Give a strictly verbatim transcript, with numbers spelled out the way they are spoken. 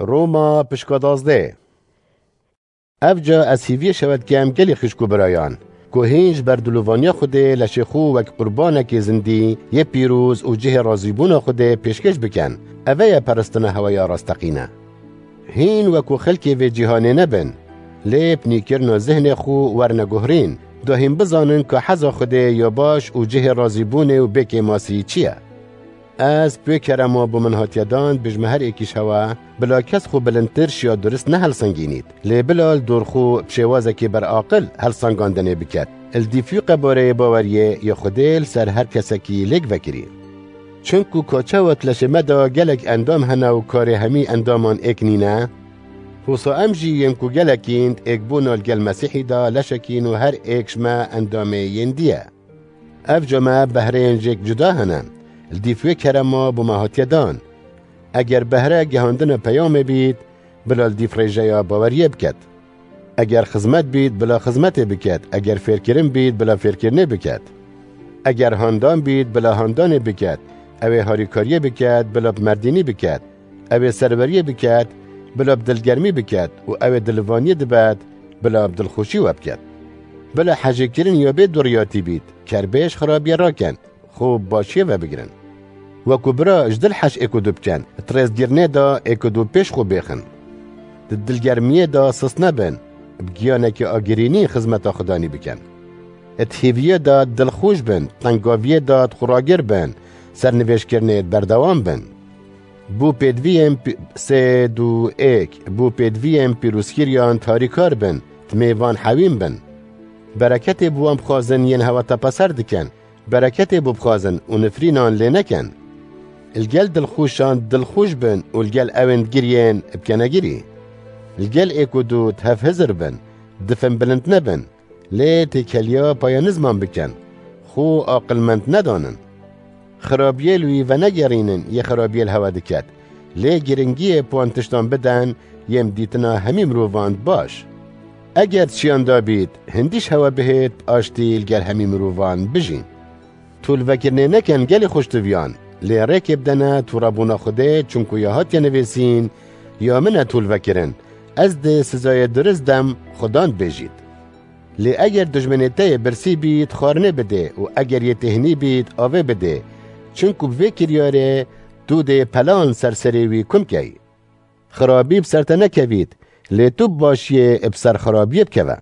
Roma pişka dazdeh. Evca ez hîviyê şewet kem gelî xişk û birayan, ku hîn ji ber dilovaniya Xwedê leşê xwe wek qurbanekê zindî yê pîroz û cihê razîbûna Xwedê pêşkêş bikin. Eve ye peristina heweya rasteqîne. Hîn wekû xelkê vê cîhanê nebin, lê bi nîkirina zihnê xwe werne guhrîn, da hîn bizanin ka heza Xwedê ya baş û cihê razîbûnê û bêkêmasî çi ye. Ez pê kerema bo min hatiye dan, bijme her êkî ji hewe, bila kes xwe bilindtir şiya durist nehelsengînît, lê bila li dor xwe bi şêwazekê beraqil helsengandinê biket. Li dîfû qebareyê baweriyê ya Xwedê li ser her kesekî lêk vekirî. Çinku ka çawa di leşê me de gelek endam hene û karê hemî endaman êk nîne, hosa em jî yên ku gelekîn êkbûna li gel Mesîhî de leşekîn û her êk ji me endamê yên dî ye. Evca me behreyên jêk cuda hene, li dîf wê kerema bo me hatiye dan. Eger behre gihandina peyamê bît, bila li dîf rêjeya baweriyê biket. Eger xizmet bît, bila xizmetê biket. Eger fêrkirin bît, bila fêrkirinê biket. Eger handan bît, bila handanê biket. Ew ê harîkariyê biket, bila bi merdînî biket. Ew ê serweriyê biket, bila bi dilgermî biket û ew ê dilivaniyê dibet, bila bi dilxweşî we biket. Bila hejêkirin ya bê duriyatî bît, kerbêj xirabiyê rakin, xwe bi başiyê ve bigirin. Wekû bira ji dil hej êk û du bikin, di rêzgirnê de êk û du pêş xwe bêxin. Di dilgermiyê de sist nebin, bi giyanekî agirînî xizmeta Xudanî bikin. Di hêviyê de dilxweş bin, tengaviyê de xweragir bin, sernivêjkirinê berdewam bin. Bo pêdiviyên pi-, sê du êk, bo pêdiviyên pîrozkiriyan tarîkar bin, di mêvan hewîn bin. Bereketê bo wan bixwazin yên hewe tepeser dikin, bereketê bo bixwazin û nifrînan lê nekin. Li gel dilxweşan dilxweş bin û li gel ewên digiriyên bikene girî. Li gel êk û du di hev hizir bin, difin bilind nebin, lê têkeliya paya nizman bikin, xwe aqilmend nedanin. Xirabiyê li wî venegerînin, yê xirabiyê li hewe diket. Lê giringiyê bi wan tiştan biden, yên bi dîtina hemî mirovan baş. Eger çiyan da bît, hindî ji hewe bihêt, aştî li gel hemî mirovan bijîn. Tolvekirinê nekin gelî xweş diviyan, lê rêkê bidene torebûna Xwedê, çunku ya hatiye nivîsîn, ya min e tolvekirin, ez dê sizayê durist dem Xudan dibêjît. Lê eger dijminê te yê birsî bît, xwarinê bidê û eger yê têhnî bît, avê bidê. Çinku bi vê kiryarê tu dê pelan ser serê wî kum key. Xirabî bi ser te nekevît, lê tu bi başiyê bi ser xirabiyê bikeve.